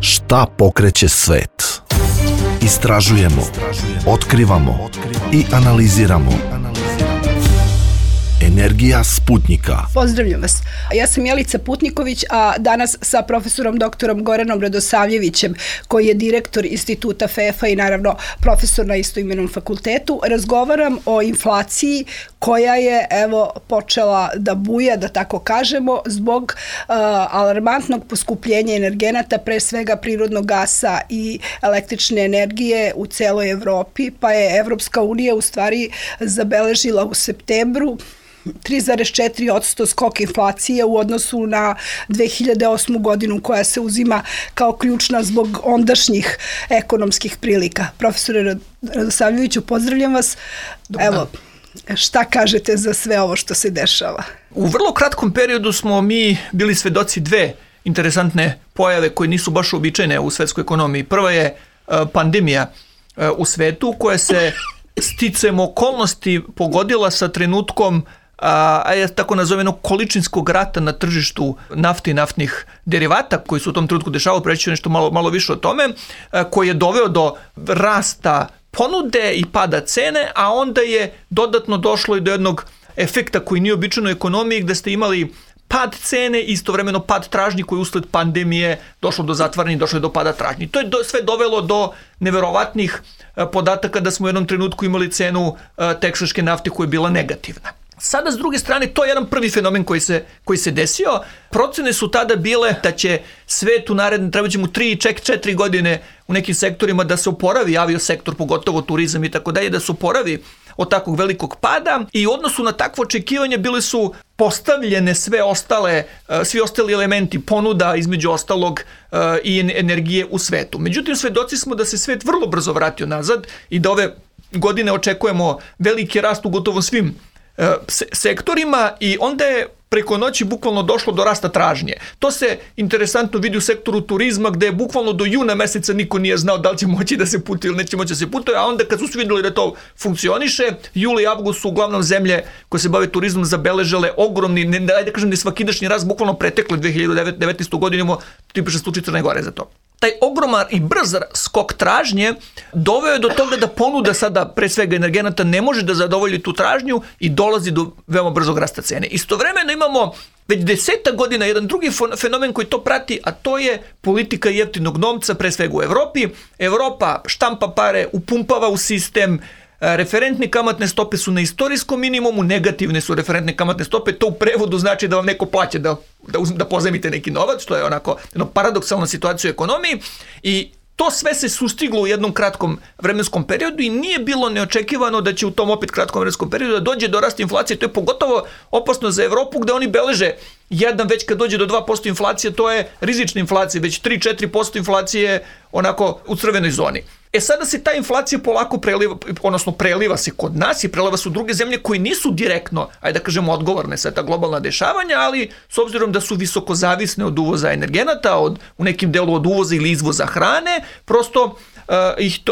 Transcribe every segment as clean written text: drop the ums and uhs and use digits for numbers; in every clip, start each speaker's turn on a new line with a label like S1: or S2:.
S1: Šta pokreće svet? Istražujemo, otkrivamo i analiziramo. Energija Sputnika.
S2: Pozdravljam vas. Ja sam Jelica Putniković, a danas sa profesorom doktorom Goranom Radosavljevićem, koji je direktor Instituta FEFA i naravno profesor na istoimenom fakultetu, razgovaram o inflaciji koja je počela da buja, da tako kažemo, zbog alarmantnog poskupljenja energenata, pre svega prirodnog gasa i električne energije u celoj Evropi, pa je Evropska unija u stvari zabeležila u septembru 3,4% skok inflacije u odnosu na 2008. godinu koja se uzima kao ključna zbog ondašnjih ekonomskih prilika. Profesore Radosavljeviću, pozdravljam vas. Evo, šta kažete za sve ovo što se dešava?
S3: U vrlo kratkom periodu smo mi bili svedoci dve interesantne pojave koje nisu baš uobičajene u svetskoj ekonomiji. Prva je pandemija u svetu koja se sticajem okolnosti pogodila sa trenutkom tako nazoveno količinskog rata na tržištu nafte i naftnih derivata koji su u tom trenutku dešavao, preći ću nešto malo više o tome, koji je doveo do rasta ponude i pada cene, a onda je dodatno došlo i do jednog efekta koji nije običan u ekonomiji, gde ste imali pad cene i istovremeno pad tražnji koji usled pandemije došlo do zatvaranja i došlo je do pada tražnji. To je sve dovelo do neverovatnih podataka da smo u jednom trenutku imali cenu teksaške nafte koja je bila negativna. Sada, s druge strane, to je jedan prvi fenomen koji se desio. Procene su tada bile da će svet u naredne, treba će mu 3-4 godine u nekim sektorima da se oporavi, aviosektor, pogotovo turizam i tako dalje, da se oporavi od takvog velikog pada i u odnosu na takvo očekivanje bili su postavljene svi ostali elementi ponuda, između ostalog i energije u svetu. Međutim, svedoci smo da se svet vrlo brzo vratio nazad i da ove godine očekujemo veliki rast u gotovo svim sektorima i onda je preko noći bukvalno došlo do rasta tražnje. To se interesantno vidi u sektoru turizma gde je bukvalno do juna meseca niko nije znao da li će moći da se putuje ili neće moći da se putuje, a onda kad su svi vidjeli da to funkcioniše, juli i avgust su uglavnom zemlje koje se bave turizmom zabeležile ogromni, ne svakidašnji rast, bukvalno pretekle 2019. godinu, imamo tipičan slučaj Crne Gore za to. Taj ogroman i brz skok tražnje doveo je do toga da ponuda sada, pre svega energenata, ne može da zadovolji tu tražnju i dolazi do veoma brzog rasta cene. Istovremeno imamo već 10 godina jedan drugi fenomen koji to prati, a to je politika jeftinog novca, pre svega u Evropi. Evropa štampa pare, upumpava u sistem, referentne kamatne stope su na istorijskom minimumu, negativne su referentne kamatne stope, to u prevodu znači da vam neko plaća da pozajmite neki novac, što je onako paradoksalna situacija u ekonomiji i to sve se sustiglo u jednom kratkom vremenskom periodu i nije bilo neočekivano da će u tom opet kratkom vremenskom periodu da dođe do rasta inflacije. To je pogotovo opasno za Evropu gde oni beleže već kad dođe do 2% inflacije, to je rizična inflacija, već 3-4% inflacije onako u crvenoj zoni. Sada se ta inflacija polako preliva se kod nas i preliva se u druge zemlje koji nisu direktno, ajde da kažemo, odgovorne sa ta globalna dešavanja, ali s obzirom da su visoko zavisne od uvoza energenata, u nekim delu od uvoza ili izvoza hrane, prosto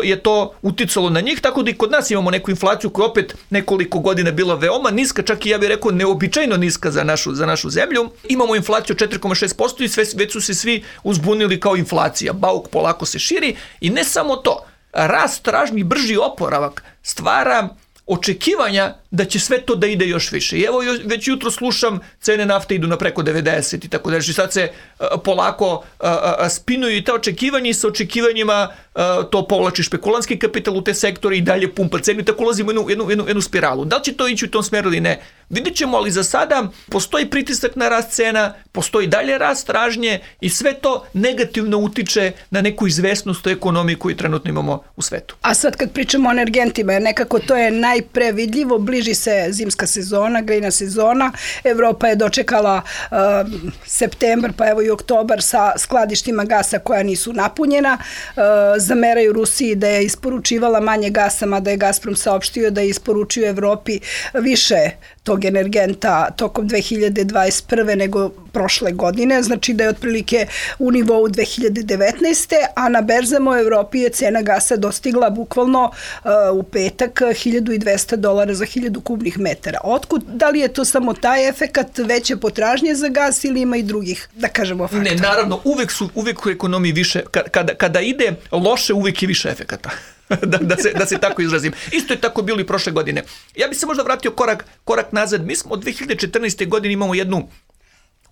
S3: je to uticalo na njih, tako da i kod nas imamo neku inflaciju koja opet nekoliko godina bila veoma niska, čak i ja bih rekao neobičajno niska za našu zemlju. Imamo inflaciju 4,6% i već su se svi uzbunili kao inflacija. Bauk polako se širi i ne samo to. Rast tražnji, brži oporavak stvara očekivanja da će sve to da ide još više. I evo već jutro slušam cene nafte idu na preko 90 i tako da. Sad se polako spinuju i ta očekivanja i sa očekivanjima to povlači špekulantski kapital u te sektore i dalje pumpa cenu i tako ulazimo u jednu spiralu. Da li će to ići u tom smeru ili ne? Vidjet ćemo, ali za sada postoji pritisak na rast cena, postoji dalje rast tražnje i sve to negativno utiče na neku izvesnost u ekonomiji koju trenutno imamo u svetu.
S2: A sad kad pričamo o energentima, jer nekako to je najprevidljivo, bliži se zimska sezona, grejna sezona, Evropa je dočekala septembar pa evo i oktobar sa skladištima gasa koja nisu napunjena, zameraju Rusiji da je isporučivala manje gasa, mada je Gazprom saopštio da je isporučio Evropi više tog energenta tokom 2021. nego prošle godine, znači da je otprilike u nivou 2019. a na berzama u Evropi je cena gasa dostigla bukvalno u petak $1.200 za 1000 kubnih metara. Otkud, da li je to samo taj efekat veće potražnje za gas ili ima i drugih, da kažemo, faktora?
S3: Ne, naravno, uvek u ekonomiji više, kada ide loše, uvek je više efekata. da se tako izrazim. Isto je tako bilo i prošle godine. Ja bih se možda vratio korak nazad. Mi smo od 2014. godine imamo jednu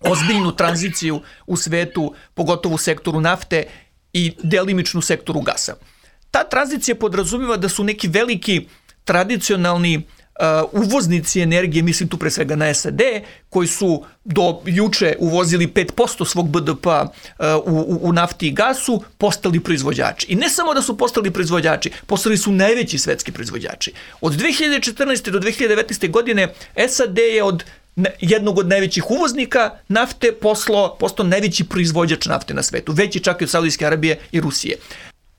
S3: ozbiljnu tranziciju u svetu, pogotovo u sektoru nafte i delimičnu sektoru gasa. Ta tranzicija podrazumijeva da su neki veliki tradicionalni uvoznici energije, mislim tu pre svega na SAD, koji su do juče uvozili 5% svog BDP-a u nafti i gasu, postali proizvođači. I ne samo da su postali proizvođači, postali su najveći svetski proizvođači. Od 2014. do 2019. godine SAD je od jednog od najvećih uvoznika nafte postao najveći proizvođač nafte na svetu, veći čak i od Saudijske Arabije i Rusije.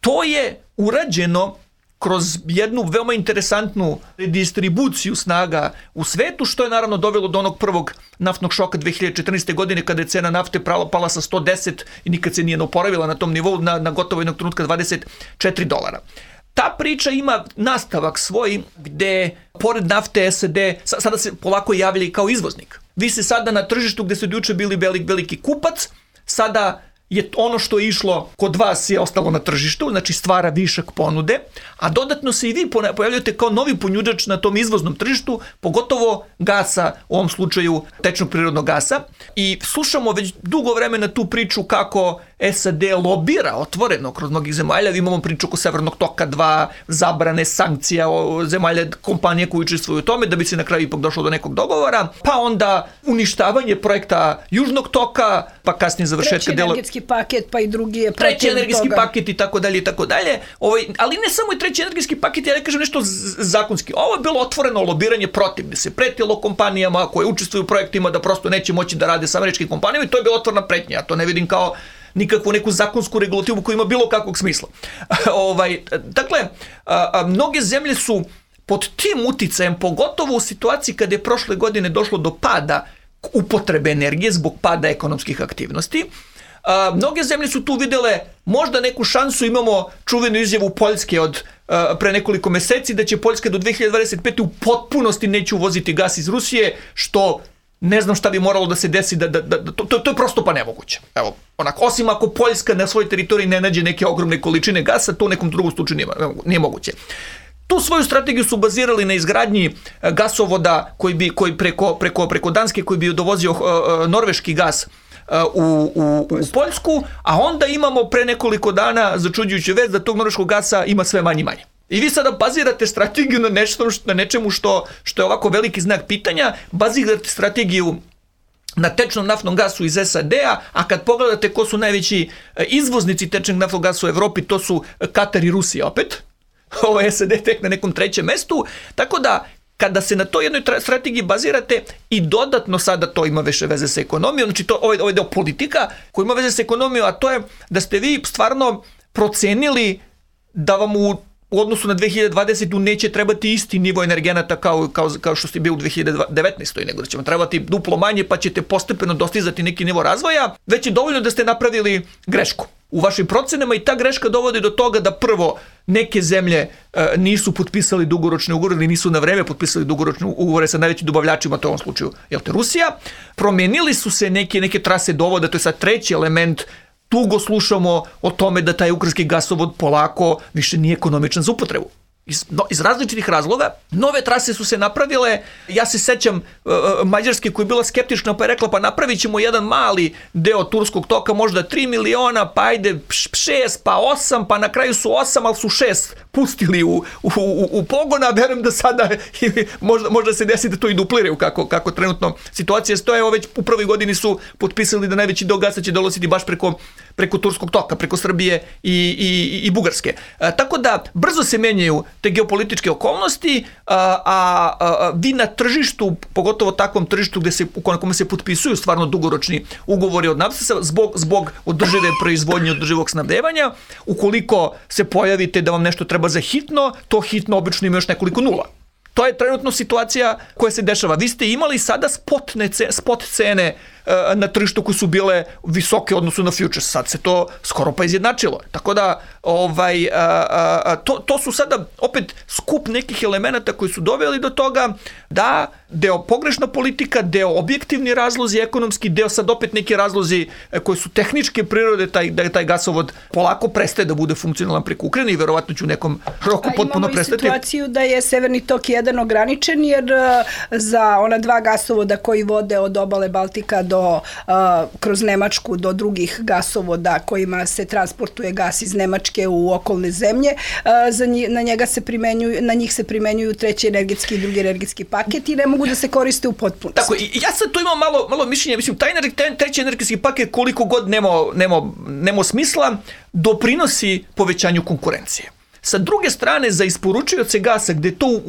S3: To je urađeno kroz jednu veoma interesantnu redistribuciju snaga u svetu, što je naravno dovelo do onog prvog naftnog šoka 2014. godine kada je cena nafte pala sa 110 i nikad se nije oporavila na tom nivou na gotovo jednog trenutka $24. Ta priča ima nastavak svoj gde pored nafte SAD sada se polako javlja kao izvoznik. Vi se sada na tržištu gde su juče bili veliki kupac, sada je ono što je išlo kod vas je ostalo na tržištu, znači stvara višak ponude, a dodatno se i vi pojavljate kao novi ponudjač na tom izvoznom tržištu, pogotovo gasa, u ovom slučaju tečnog prirodnog gasa. I slušamo već dugo vremena tu priču kako SAD lobira otvoreno kroz mnogih zemalja. Imamo priču oko Severnog toka 2, zabrane sankcija zemalja, kompanije koje učestvuju u tome, da bi se na kraju ipak došlo do nekog dogovora, pa onda uništavanje projekta Južnog toka, pa kasnije završetka dela...
S2: paket, pa i drugi je protiv toga.
S3: Treći energetski paket i tako dalje i tako dalje. Ali ne samo i treći energetski paket, ja ne kažem nešto zakonski. Ovo je bilo otvoreno lobiranje protiv, gde se pretilo kompanijama koje učestvuju u projektima da prosto neće moći da rade sa američkim kompanijama i to je bila otvorena pretnja. Ja to ne vidim kao nikakvu neku zakonsku regulativu koja ima bilo kakvog smisla. Dakle, mnoge zemlje su pod tim uticajem, pogotovo u situaciji kada je prošle godine došlo do pada upotrebe energije zbog pada ekonomskih aktivnosti, mnoge zemlje su tu videle možda neku šansu. Imamo čuvenu izjavu Poljske od pre nekoliko meseci da će Poljska do 2025. u potpunosti neće uvoziti gas iz Rusije, što ne znam šta bi moralo da se desi, to je prosto pa nemoguće. Evo, osim ako Poljska na svojoj teritoriji ne nađe neke ogromne količine gasa, to u nekom drugom slučaju nije moguće. Tu svoju strategiju su bazirali na izgradnji gasovoda koji preko Danske koji bi dovozio norveški gas u Poljsku, a onda imamo pre nekoliko dana začuđujuću vest da tog norveškog gasa ima sve manje i manje. I vi sada bazirate strategiju na nečemu što je ovako veliki znak pitanja, bazirate strategiju na tečnom naftnom gasu iz SAD-a, a kad pogledate ko su najveći izvoznici tečnog naftnog gasa u Evropi, to su Katar i Rusija opet. Ovo je SAD tek na nekom trećem mestu, tako da kada se na toj jednoj strategiji bazirate i dodatno sada to ima više veze sa ekonomijom, znači to ovaj deo politika koji ima veze sa ekonomijom, a to je da ste vi stvarno procenili da vam u odnosu na 2020. neće trebati isti nivo energenata kao što ste bili u 2019. nego da će vam trebati duplo manje pa ćete postepeno dostizati neki nivo razvoja, već je dovoljno da ste napravili grešku u vašim procenama i ta greška dovodi do toga da prvo neke zemlje nisu potpisali dugoročne ugovore ili nisu na vreme potpisali dugoročne ugovore sa najvećim dobavljačima, to je u ovom slučaju Rusija. Promenili su se neke trase dovoda, to je sad treći element. Dugo slušamo o tome da taj ukrajinski gasovod polako više nije ekonomičan za upotrebu. Iz različitih razloga. Nove trase su se napravile. Ja se sećam Mađarske koja je bila skeptična pa je rekla pa napravit ćemo jedan mali deo turskog toka, možda 3 miliona, pa ajde 6, pa 8, pa na kraju su 8, ali su 6 pustili u pogona. Verujem da sada možda se desi da to i dupliraju kako trenutno situacija stoje. Evo već u prvoj godini su potpisali da najveći deo gasa će dolaziti baš preko turskog toka, preko Srbije i Bugarske. Tako da brzo se menjaju te geopolitičke okolnosti, a vi na tržištu, pogotovo takvom tržištu na kome se potpisuju stvarno dugoročni ugovori od nafte zbog održive proizvodnje, održivog snabdevanja, ukoliko se pojavite da vam nešto treba za hitno, to hitno obično ima još nekoliko nula. To je trenutno situacija koja se dešava. Vi ste imali sada spot cene na tržištu koje su bile visoke u odnosu na futures. Sad se to skoro pa izjednačilo. Tako da to su sada opet skup nekih elemenata koji su doveli do toga da deo pogrešna politika, deo objektivni razlozi ekonomski, deo sad opet neki razlozi koji su tehničke prirode, da taj gasovod polako prestaje da bude funkcionalan preko Ukrajine i verovatno će u nekom roku potpuno prestati.
S2: Imamo i situaciju da je Severni tok 1 ograničen, jer za ona 2 gasovoda koji vode od obale Baltika kroz Nemačku do drugih gasovoda kojima se transportuje gas iz Nemačke u okolne zemlje, na njih se primenjuju treći energetski i drugi energetski paket i ne mogu da se koriste u potpunosti.
S3: Tako, i ja sad tu imam malo mišljenja, mislim, taj treći energetski paket koliko god nema smisla, doprinosi povećanju konkurencije. Sa druge strane, za isporučioce gasa, gde je to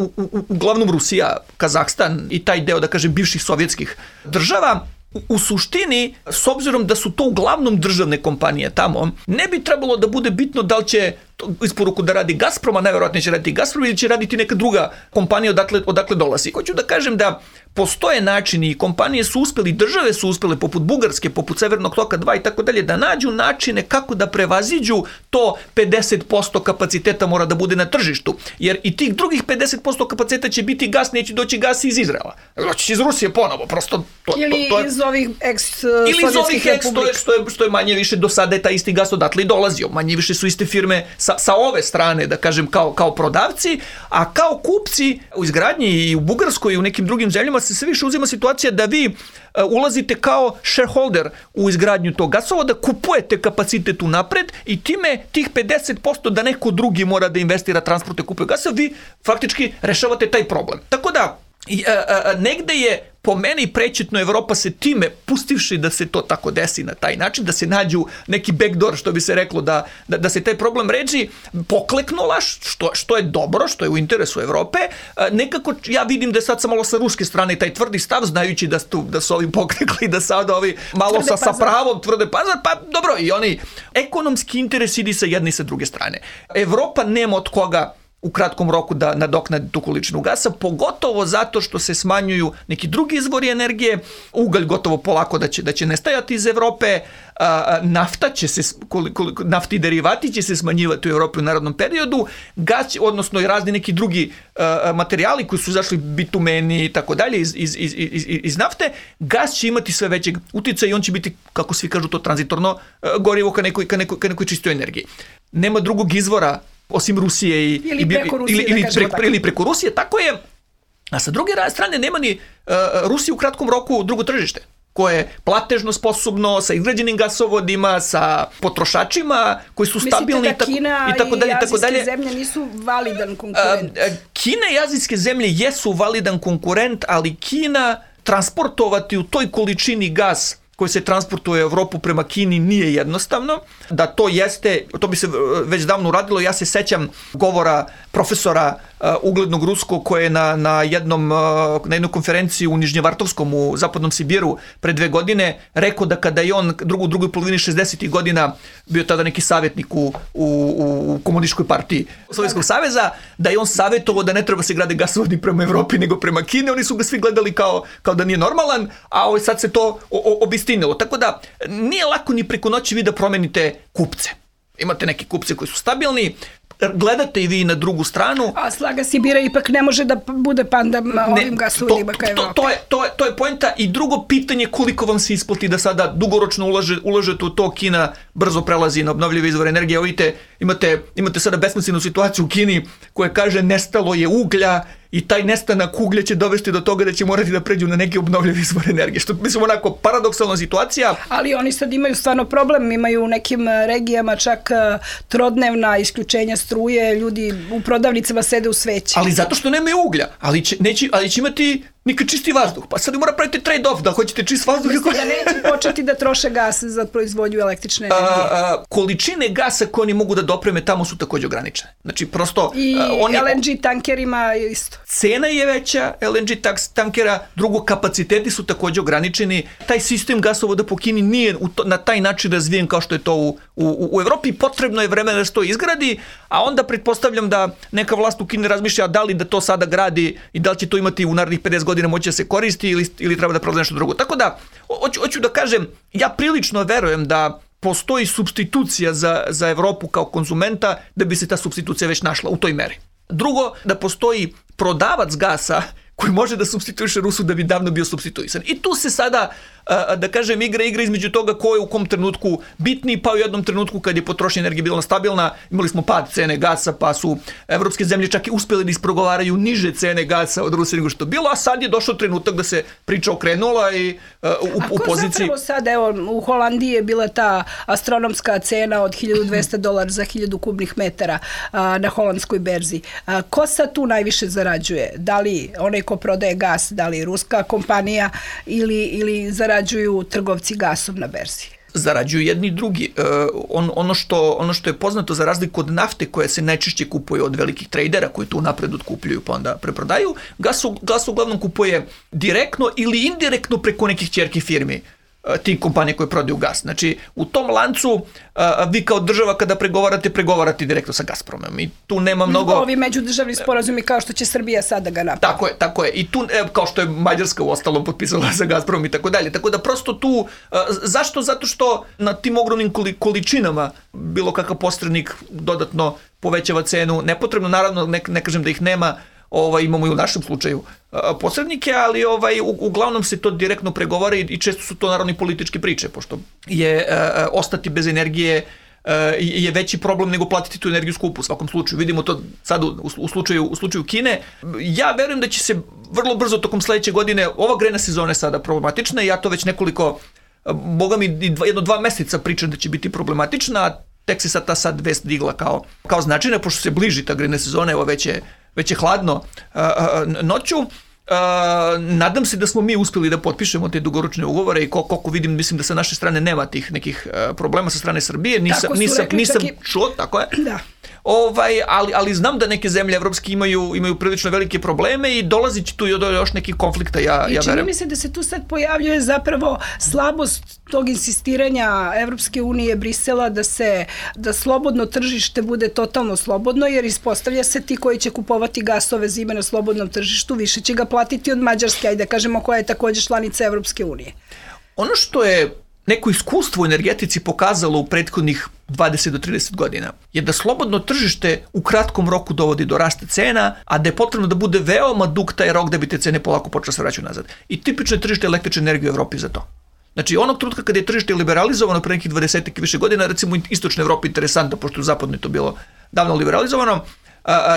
S3: uglavnom Rusija, Kazahstan i taj deo, da kažem, bivših sovjetskih država, u suštini, s obzirom da su to uglavnom državne kompanije tamo, ne bi trebalo da bude bitno da li će isporuku da radi Gazprom, a najverovatnije će raditi Gazprom ili će raditi neka druga kompanija odakle dolazi. Hoću da kažem da postoje načini i kompanije su uspeli, države su uspele poput Bugarske, poput Severnog toka 2 i tako dalje, da nađu načine kako da prevaziđu to 50% kapaciteta mora da bude na tržištu. Jer i tih drugih 50% kapaciteta će biti gas, neće doći gas iz Izraela. Doći iz Rusije ponovo, prosto
S2: ili iz ovih ex-sovjetskih republika.
S3: Što je manje više do sada je taj isti gas odatle i dolazio. Manje više su iste firme sa ove strane, da kažem, kao prodavci, a kao kupci u izgradnji i u Bugarskoj i u nekim drugim zemljama se sve više uzima situacija da vi ulazite kao shareholder u izgradnju tog gasovoda, kupujete kapacitet unapred i time tih 50% da neko drugi mora da investira, transporte, kupuje gasa, vi faktički rešavate taj problem. Tako da, negde je po meni prečetno Evropa se time, pustivši da se to tako desi na taj način, da se nađu neki backdoor, što bi se reklo, da se taj problem reši, pokleknula, što je dobro, što je u interesu Evrope. Nekako ja vidim da je sad malo sa ruske strane taj tvrdi stav, znajući da su ovi poklekli, da sad ovi malo sa pravom tvrde pazar, pa dobro, i oni ekonomski interes ide sa jedne i sa druge strane. Evropa nema od koga u kratkom roku da nadoknadi tu količinu gasa, pogotovo zato što se smanjuju neki drugi izvori energije, ugalj gotovo polako da će nestajati iz Evrope, naftni derivati će se smanjivati u Evropi u narednom periodu, gas, odnosno i razni neki drugi materijali koji su izašli, bitumeni i tako dalje iz nafte, gas će imati sve većeg uticaja i on će biti, kako svi kažu to, tranzitorno gorivo ka nekoj čistoj energiji. Nema drugog izvora osim Rusije ili preko Rusije, tako je. A sa druge strane nema ni Rusija u kratkom roku drugo tržište, koje je platežno sposobno, sa izgrađenim gasovodima, sa potrošačima koji su stabilni i tako dalje.
S2: Mislite da Kina i azijske zemlje nisu validan konkurent?
S3: Kina i azijske zemlje jesu validan konkurent, ali Kina transportovati u toj količini gas koji se transportuje u Evropu prema Kini nije jednostavno. Da to jeste, to bi se već davno uradilo. Ja se sećam govora profesora uglednog ruskog koji je na jednoj konferenciji u Nižnjevartovskom u zapadnom Sibiru pre 2 godine rekao da kada je on u drugoj polovini 60. godina bio tada neki savjetnik u komunističkoj partiji Sovjetskog saveza, da je on savjetovao da ne treba se grade gasovodi prema Evropi nego prema Kini. Oni su ga svi gledali kao da nije normalan, a sad se to obistinilo. Tako da nije lako ni preko noći vi da promenite kupce. Imate neke kupce koji su stabilni, gledate i vi na drugu stranu. A
S2: Slaga Sibira ipak ne može da bude panda ovim gasovodima ka Evropi.
S3: To je poenta. I drugo pitanje, koliko vam se isplati da sada dugoročno ulažete u to. Kina brzo prelazi na obnovljive izvore energije. Imate sada besmislenu situaciju u Kini koja kaže nestalo je uglja i taj nestanak uglja će dovesti do toga da će morati da pređu na neki obnovljivi izvor energije. Što mislim onako paradoksalna situacija.
S2: Ali oni sad imaju stvarno problem, imaju u nekim regijama čak trodnevna isključenja struje, ljudi u prodavnicama sede u sveći.
S3: Ali zato što nemaju uglja, ali će imati nikad čisti vazduh. Pa sad mora praviti trade-off, da hoćete čist vazduh.
S2: Mislim da neće početi da troše gas za proizvodnju električne energije.
S3: Količine gasa koje oni mogu da dopreme tamo su također ograničene. Znači prosto...
S2: I LNG tankerima je isto.
S3: Cena je veća LNG tankera, drugo kapaciteti su također ograničeni. Taj sistem gasovoda po Kini nije na taj način razvijen kao što je to u Evropi. Potrebno je vremena da se to izgradi, a onda pretpostavljam da neka vlast u Kini razmišlja da li da to sada gradi i da li će to imati u narednih 50 godina moći da se koristi ili treba da proda nešto drugo. Tako da, hoću da kažem, ja prilično verujem da postoji supstitucija za Evropu kao konzumenta, da bi se ta supstitucija već našla u toj meri. Drugo, da postoji prodavac gasa koji može da supstituiše Rusu da bi davno bio supstituisan. I tu se sada, da kažem, igra između toga ko je u kom trenutku bitniji, pa u jednom trenutku kad je potrošnja energije bila stabilna, imali smo pad cene gasa, pa su evropske zemlje čak i uspjeli da isprogovaraju niže cene gasa od Rusije nego što bilo, a sad je došao trenutak da se priča okrenula i u poziciji...
S2: Zapravo sad, evo, u Holandiji je bila ta astronomska cena od $1.200 za 1000 kubnih metara na holandskoj berzi. Ko sad tu najviše zarađuje? Da li onaj ko prodaje gas, da li ruska kompanija ili zarađuju trgovci gasom na berzi?
S3: Zarađuju jedni i drugi. Ono što je poznato za razliku od nafte koja se najčešće kupuje od velikih tradera koji tu napred otkupljuju pa onda preprodaju, gas uglavnom kupuje direktno ili indirektno preko nekih ćerki firmi tih kompanija koje prodaju gas. Znači, u tom lancu vi kao država kada pregovarate direktno sa Gazpromom i tu nema mnogo...
S2: Ovi međudržavni sporazumi kao što će Srbija sada ga napraviti.
S3: Tako je. I tu, kao što je Mađarska u ostalom potpisala sa Gazpromom i tako dalje. Tako da prosto tu... Zašto? Zato što na tim ogromnim količinama bilo kakav posrednik dodatno povećava cenu. Nepotrebno, naravno, ne kažem da ih nema, imamo i u našem slučaju posrednike, ali uglavnom se to direktno pregovara i često su to naravno i političke priče, pošto je ostati bez energije je veći problem nego platiti tu energiju skupu u svakom slučaju. Vidimo to sad u slučaju Kine. Ja verujem da će se vrlo brzo tokom sledeće godine, ova grejna sezona je sada problematična i ja to već nekoliko, boga mi 1-2 meseca pričam da će biti problematična, a tek se ta sad vest digla kao značajna, pošto se bliži ta grejna sezona, evo već je hladno noću. Nadam se da smo mi uspjeli da potpišemo te dugoročne ugovore i koliko vidim, mislim da sa naše strane nema tih nekih problema sa strane Srbije. Nisam čuo, tako je.
S2: Da.
S3: Ali znam da neke zemlje evropske imaju prilično velike probleme i dolazi će tu do još nekih konflikta, ja verujem.
S2: Čini mi se da se tu sad pojavljuje zapravo slabost tog insistiranja Evropske unije, Brisela, da slobodno tržište bude totalno slobodno, jer ispostavlja se ti koji će kupovati gas ove zime na slobodnom tržištu, više će ga platiti od Mađarske, ajde da kažemo, koja je također članica Evropske unije.
S3: Ono što je neko iskustvo u energetici pokazalo u prethodnih 20 do 30 godina je da slobodno tržište u kratkom roku dovodi do rasta cena, a da je potrebno da bude veoma dug taj rok da bi te cene polako počele se vraćati nazad. I tipično je tržište električne energije u Evropi za to. Znači, onog trenutka kada je tržište liberalizovano pre nekih 20 i više godina, recimo u istočnoj Evropi interesantno, pošto u zapadnoj to bilo davno liberalizovano,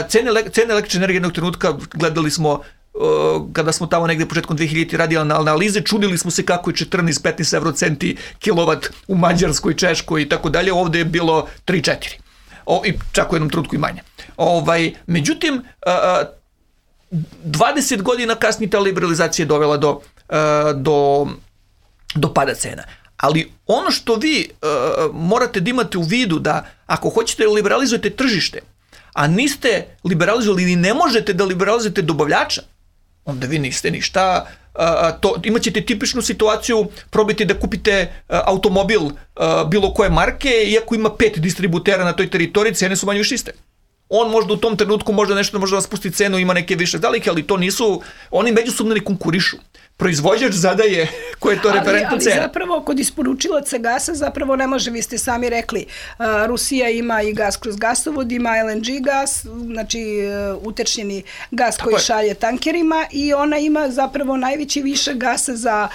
S3: cene električne energije jednog trenutka gledali smo kada smo tamo negde početkom 2000 radili analize, čudili smo se kako je 14-15 eurocenti kilovat u Mađarskoj, Češkoj i tako dalje, ovde je bilo 3-4. I čak u jednom trenutku i manje. Međutim, 20 godina kasnije ta liberalizacija je dovela do pada cena. Ali ono što vi morate da imate u vidu da ako hoćete da liberalizujete tržište, a niste liberalizovali ili ne možete da liberalizujete dobavljača, onda vi niste ništa. Imat ćete tipičnu situaciju, probajte da kupite automobil bilo koje marke, iako ima 5 distributera na toj teritoriji, cene su manje više iste. On možda u tom trenutku nešto može da spusti cenu, ima neke više zalike, ali to nisu, oni međusobno ne konkurišu. Proizvođač zadaje koje je to referentna cena.
S2: Ali zapravo kod isporučilaca gasa zapravo ne može, vi ste sami rekli, Rusija ima i gas kroz gasovod, ima LNG gas, znači utečnjeni gas koji šalje tankerima i ona ima zapravo najveći višak gasa za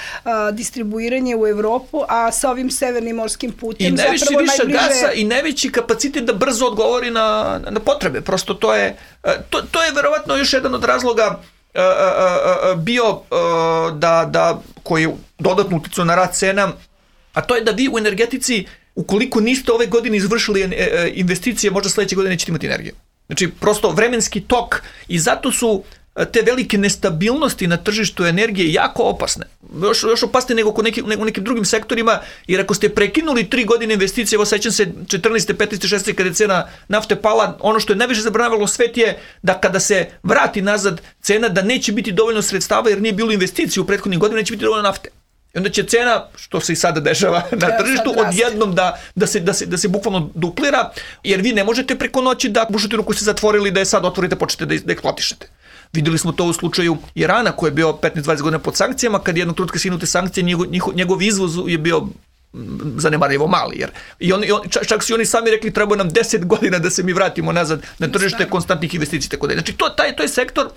S2: distribuiranje u Evropu, a sa ovim severnim morskim putem zapravo najbliže... I najveći višak gasa i najveći kapacitet da brzo odgovori na potrebe. Prosto to je verovatno još jedan od razloga bio koji je dodatno uticao na rast cena, a to je da vi u energetici, ukoliko niste ove godine izvršili investicije, možda sledeće godine nećete imati energiju. Znači, prosto vremenski tok i zato su te velike nestabilnosti na tržištu energije jako opasne. Još opasne nego u nekim drugim sektorima, jer ako ste prekinuli 3 godine investicije, evo sećam se 14. 15. 16. kada je cena nafte pala, ono što je najviše zabranjavalo svet je da kada se vrati nazad cena, da neće biti dovoljno sredstava jer nije bilo investicije u prethodnih godina, neće biti dovoljno nafte.
S3: I onda će cena, što se i sada dešava na tržištu, odjednom da se bukvalno duplira, jer vi ne možete preko noći da bušotinu koju ste zatvorili, da je sad otvorite, počnete da eksploatišete. Videli smo to u slučaju Irana, koji je bio 15-20 godina pod sankcijama, kad jednog trenutka skinute sankcije, njegov izvoz je bio zanemarivo mali. Čak su oni sami rekli, treba nam 10 godina da se mi vratimo nazad na tržište konstantnih investicija. Tako da. Znači, to je sektor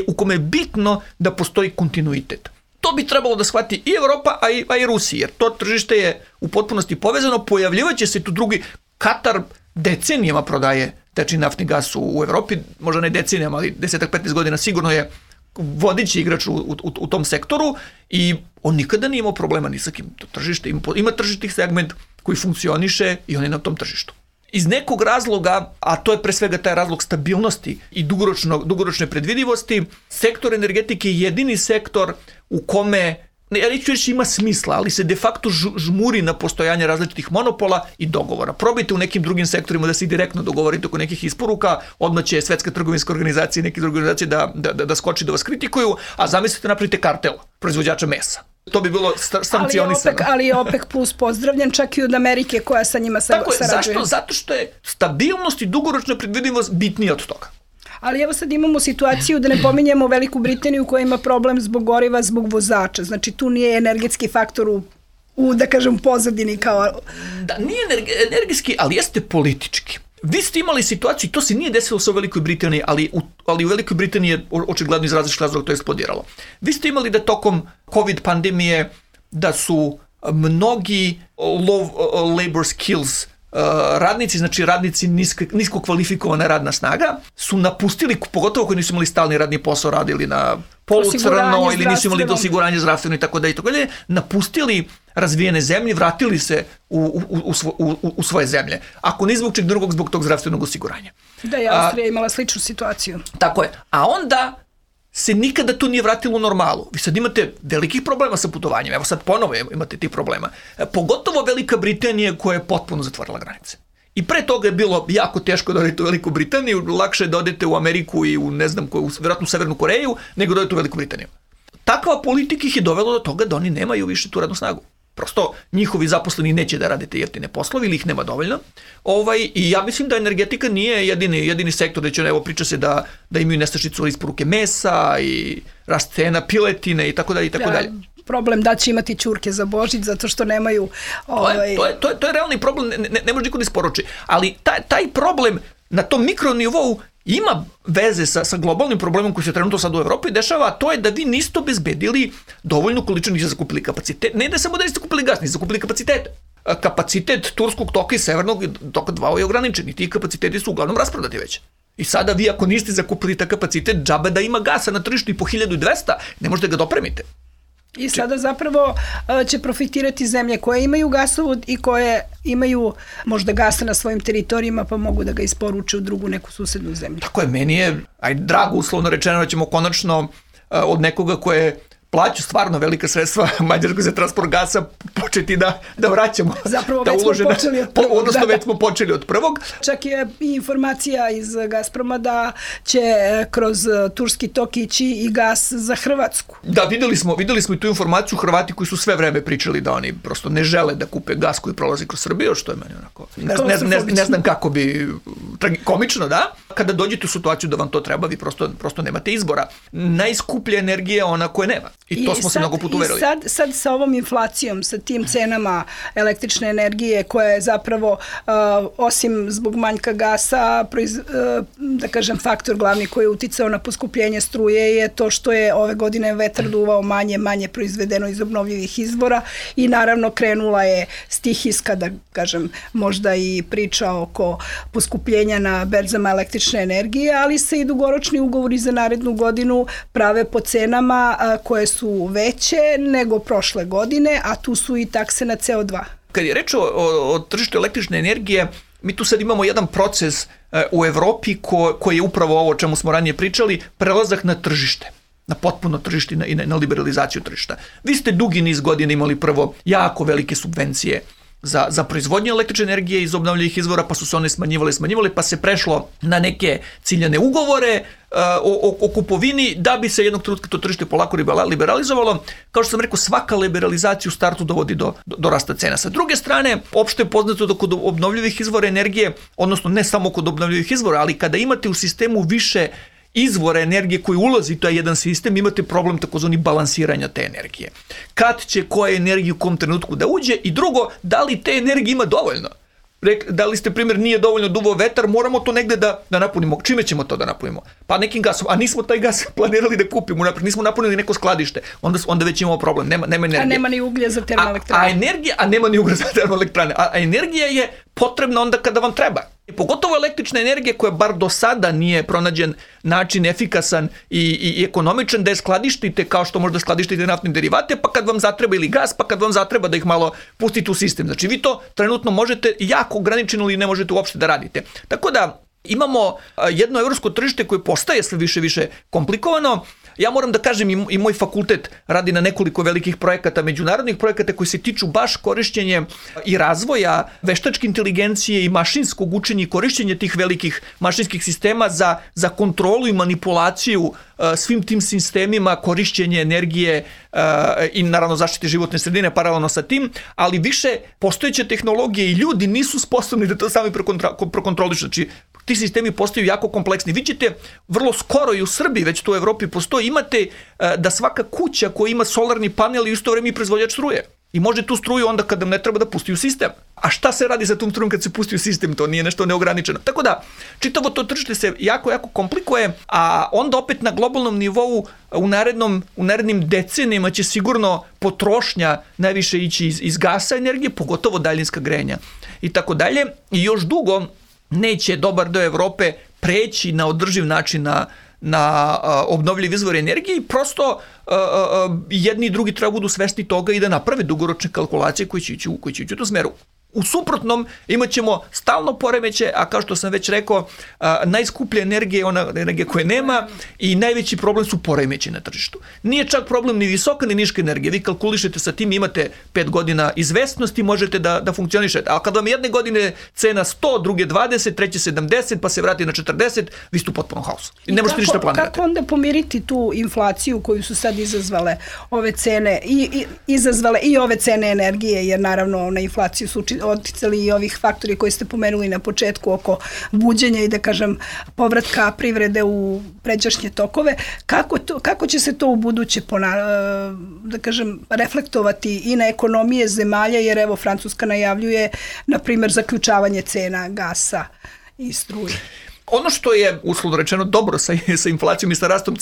S3: u kome je bitno da postoji kontinuitet. To bi trebalo da shvati i Evropa, a i Rusija, jer to tržište je u potpunosti povezano, pojavljivaće se tu drugi. Katar decenijama prodaje tečni naftni gas u Evropi, možda ne decenijama, ali 10-15 godina sigurno je vodeći igrač u tom sektoru i on nikada nije imao problema ni sa kim. To tržište ima tržišni segment koji funkcioniše i on je na tom tržištu. Iz nekog razloga, a to je pre svega taj razlog stabilnosti i dugoročne predvidivosti, sektor energetike je jedini sektor u kome, ja neću reći ima smisla, ali se de facto žmuri na postojanje različitih monopola i dogovora. Probajte u nekim drugim sektorima da se direktno dogovorite oko nekih isporuka, odmah će Svetska trgovinska organizacija i neke druge organizacije da skoči da vas kritikuju, a zamislite napravite kartel proizvođača mesa. To bi bilo sankcionisano.
S2: Ali je OPEC plus pozdravljen čak i od Amerike koja sa njima sarađuje.
S3: Zašto? Zato što je stabilnost i dugoročna predvidivost bitnija od toga.
S2: Ali evo sad imamo situaciju da ne pominjemo Veliku Britaniju koja ima problem zbog goriva, zbog vozača. Znači tu nije energetski faktor u da kažem, pozadini kao...
S3: Da, nije energetski, ali jeste politički. Vi ste imali situaciju, to se nije desilo sa u Velikoj Britaniji, ali u Velikoj Britaniji je očigledno iz različitih razloga to eksplodiralo. Vi ste imali da tokom COVID pandemije da su mnogi low labor skills radnici, znači radnici nisko kvalifikovana radna snaga, su napustili, pogotovo koji nisu imali stalni radni posao, radili na polucrno ili nisu imali osiguranje zdravstveno i tako da, napustili razvijene zemlje, vratili se u svoje zemlje. Ako ne zbog čeg drugog, zbog tog zdravstvenog osiguranja.
S2: Da je Austrija imala sličnu situaciju.
S3: Tako je. A onda se nikada to nije vratilo u normalu. Vi sad imate velikih problema sa putovanjem. Evo sad ponovo imate tih problema. Pogotovo Velika Britanija koja je potpuno zatvorila granice. I pre toga je bilo jako teško da odete u Veliku Britaniju, lakše da odete u Ameriku i u ne znam koju, vjerojatno u Severnu Koreju, nego da odete u Veliku Britaniju. Takva politika ih je dovela do toga da oni nemaju više tu radnu snagu. Prosto njihovi zaposleni neće da rade te jeftine poslovi ili ih nema dovoljno. I ja mislim da energetika nije jedini sektor gde će, evo, priča se da imaju nestašicu isporuke mesa i rast cena piletine i tako dalje i tako dalje.
S2: Problem da će imati ćurke za Božić zato što nemaju...
S3: To je realni problem, ne može niko da isporuči. Ali taj problem na tom mikronivou ima veze sa globalnim problemom koji se trenutno sad u Evropi dešava, a to je da vi niste obezbedili dovoljnu količinu, niste zakupili kapacitet. Ne da samo da niste zakupili gas, niste zakupili kapacitete. Kapacitet Turskog toka i Severnog toka 2 je ograničen i ti kapaciteti su uglavnom rasprodati već. I sada vi ako niste zakupili ta kapacitet, džabe da ima gasa na tržištu i po 1200, ne možete ga dopremite.
S2: I sada zapravo će profitirati zemlje koje imaju gasovod i koje imaju možda gasa na svojim teritorijima pa mogu da ga isporuče u drugu neku susednu zemlju.
S3: Tako je, meni je drago uslovno rečeno da ćemo konačno od nekoga koje plaća stvarno velika sredstva Mađarskoj za transport gasa početi da vraćamo.
S2: Zapravo već smo počeli od prvog.
S3: Odnosno već smo počeli od prvog.
S2: Čak je i informacija iz Gazproma da će kroz Turski tok ići i gas za Hrvatsku.
S3: Da, videli smo i tu informaciju. Hrvati koji su sve vreme pričali da oni prosto ne žele da kupe gas koji prolazi kroz Srbiju, što je meni onako... Ne znam kako bi... Komično, da? Kada dođete u situaciju da vam to treba, vi prosto nemate izbora. Najskuplja energija je ona koje nema. I to smo se mnogo puta uverili.
S2: I sad sa ovom inflacijom, sa tim cenama električne energije koja je zapravo, osim zbog manjka gasa, da kažem, faktor glavni koji je uticao na poskupljenje struje je to što je ove godine vetar duvao manje proizvedeno iz obnovljivih izvora i naravno krenula je stihijska, da kažem, možda i priča oko poskupljenja na berzama električne energije, ali se i dugoročni ugovori za narednu godinu prave po cenama koje su veće nego prošle godine, a tu su i takse na CO2.
S3: Kad je reč o tržištu električne energije, mi tu sad imamo jedan proces u Evropi koji je upravo ovo o čemu smo ranije pričali, prelazak na tržište, na potpuno tržište i na liberalizaciju tržišta. Vi ste dugi niz godina imali prvo jako velike subvencije za proizvodnju električne energije iz obnovljivih izvora, pa su se one smanjivale, pa se prešlo na neke ciljane ugovore, o kupovini da bi se jednog trenutka to tržište polako liberalizovalo. Kao što sam rekao, svaka liberalizacija u startu dovodi do rasta cena. Sa druge strane, opšte je poznato da kod obnovljivih izvora energije, odnosno ne samo kod obnovljivih izvora, ali kada imate u sistemu više izvora energije koji ulazi u taj jedan sistem, imate problem takozvani balansiranja te energije. Kad će koja energija u kom trenutku da uđe i drugo, da li te energije ima dovoljno? Dali ste primjer, nije dovoljno duvao vetar, moramo to negde da napunimo. Čime ćemo to da napunimo? Pa nekim gasom, a nismo taj gas planirali da kupimo, nismo napunili neko skladište, onda već imamo problem, nema energije.
S2: A nema ni uglja za termoelektrane.
S3: A nema ni uglja za termoelektrane. A energija je potrebna onda kada vam treba. Pogotovo električna energija koja bar do sada nije pronađen način efikasan i ekonomičan da je skladištite kao što možda skladištite naftne derivate, pa kad vam zatreba ili gas, pa kad vam zatreba da ih malo pustite u sistem. Znači vi to trenutno možete jako ograničeno ili ne možete uopšte da radite. Tako da imamo jedno evropsko tržište koje postaje sve više komplikovano. Ja moram da kažem i moj fakultet radi na nekoliko velikih projekata, međunarodnih projekata koji se tiču baš korišćenje i razvoja veštačke inteligencije i mašinskog učenja i korišćenja tih velikih mašinskih sistema za kontrolu i manipulaciju svim tim sistemima, korišćenje energije i naravno zaštite životne sredine paralelno sa tim, ali više postojeće tehnologije i ljudi nisu sposobni da to sami prokontrolišu. Znači, ti sistemi postaju jako kompleksni. Vi ćete vrlo skoro i u Srbiji, već to u Evropi postoji, imate da svaka kuća koja ima solarni panel i u isto vreme i proizvođač struje. I može tu struju onda kada ne treba da pusti u sistem. A šta se radi sa tom strujom kad se pusti u sistem? To nije nešto neograničeno. Tako da, čitavo to tržište se jako komplikuje, a onda opet na globalnom nivou u narednim decenijama će sigurno potrošnja najviše ići iz gasa energije, pogotovo daljinska grejanja i tako dalje. I još dugo neće dobar deo Evrope preći na održiv način na obnovljiv izvor energije i prosto jedni i drugi treba budu svesni toga i da naprave dugoročne kalkulacije koji će ići u tom smeru. U suprotnom imat ćemo stalno poremeće, a kao što sam već rekao, najskuplja energija je ona energija koje nema i najveći problem su poremeći na tržištu. Nije čak problem ni visoka ni niška energija. Vi kalkulišete sa tim, imate 5 godina izvesnosti, možete da funkcionišete. A kad vam jedne godine cena 100, druge 20, treće 70, pa se vrati na 40, vi ste u potpunom haosu. I ne možete ništa planirati.
S2: Kako onda pomiriti tu inflaciju koju su sad izazvale ove cene izazvale i ove cene energije, jer naravno na inflaciju su oticali i ovih faktori koji ste pomenuli na početku oko buđenja i da kažem povratka privrede u pređašnje tokove. Kako će se to u buduće da kažem reflektovati i na ekonomije zemalja, jer evo Francuska najavljuje na primjer zaključavanje cena gasa i struje.
S3: Ono što je uslovno rečeno dobro sa inflacijom i sa rastom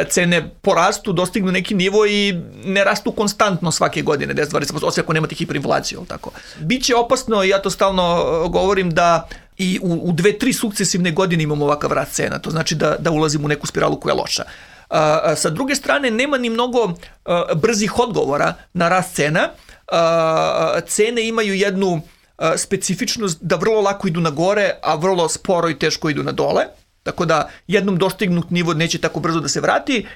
S3: cene porastu, dostignu neki nivo i ne rastu konstantno svake godine, 10-20%, osim ako nemate hiperinflaciju. Tako. Biće opasno, ja to stalno govorim, da i u 2-3 sukcesivne godine imamo ovakav rast cena. To znači da ulazimo u neku spiralu koja je loša. Sa druge strane, nema ni mnogo brzih odgovora na rast cena. Cene imaju jednu specifičnost da vrlo lako idu na gore, a vrlo sporo i teško idu na dole. Tako da jednom dostignut nivo neće tako brzo da se vrati.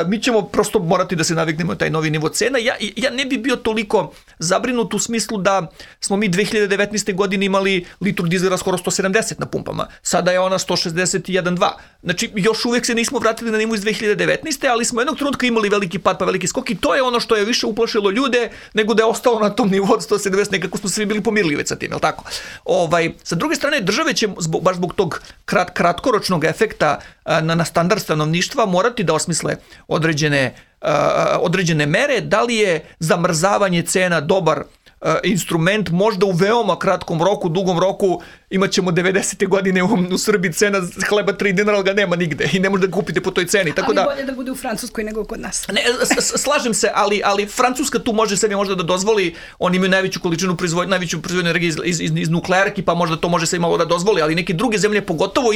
S3: Mi ćemo prosto morati da se naviknemo na taj novi nivo cena. Ja ne bi bio toliko zabrinut u smislu da smo mi 2019. godine imali litru dizela skoro 170 na pumpama. Sada je ona 161,2. Znači, još uvijek se nismo vratili na nivo iz 2019. ali smo jednog trenutka imali veliki pad pa veliki skok i to je ono što je više uplašilo ljude nego da je ostalo na tom nivou od 170. Nekako smo svi bili pomirljivi već sa tim, je li tako? Sa druge strane, države će baš zbog tog kratkoročnog efekta na standard stanovništva morati da osmisle određene mere. Da li je zamrzavanje cena dobar instrument, možda u veoma kratkom roku, dugom roku imat ćemo 90. godine u Srbiji cena hleba 3 dinara, ali ga nema nigde i ne možete da kupite po toj ceni. Tako
S2: ali bolje da bude u Francuskoj nego kod nas.
S3: Ne, slažem se, ali Francuska tu može sebi možda da dozvoli, oni imaju najveću količinu najveću proizvodnju energije iz nuklearki, pa možda to može se malo da dozvoli, ali neke druge zemlje, pogotovo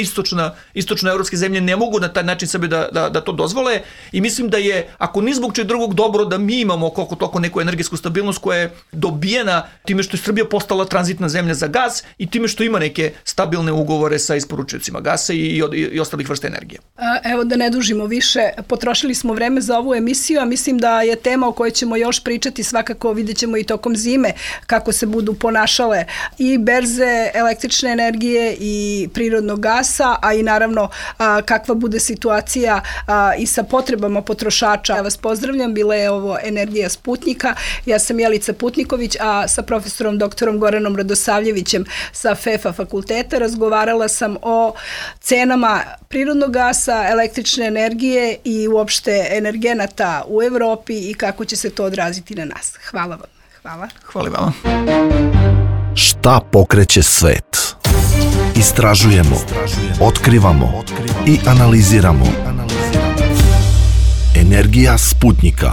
S3: istočnoevropske zemlje, ne mogu na taj način sebi da to dozvole i mislim da je, ako ni zbog čeg drugog, dobro da mi imamo koliko toliko neku energetsku stabilnost koja je dobijena razvijena time što je Srbija postala tranzitna zemlja za gas i time što ima neke stabilne ugovore sa isporučiocima gasa i ostalih vrsta energije.
S2: Evo da ne dužimo više, potrošili smo vreme za ovu emisiju, a mislim da je tema o kojoj ćemo još pričati, svakako vidjet ćemo i tokom zime kako se budu ponašale i berze električne energije i prirodnog gasa, a i naravno kakva bude situacija i sa potrebama potrošača. Ja vas pozdravljam, bila je ovo Energija Sputnjika, ja sam Jelica Putniković, a sa profesorom doktorom Goranom Radosavljevićem sa FEFA fakulteta razgovarala sam o cenama prirodnog gasa, električne energije i uopšte energenata u Evropi i kako će se to odraziti na nas. Hvala vam.
S3: Hvala vama.
S1: Šta pokreće svet? Istražujemo, otkrivamo i analiziramo. Energija Sputnjika.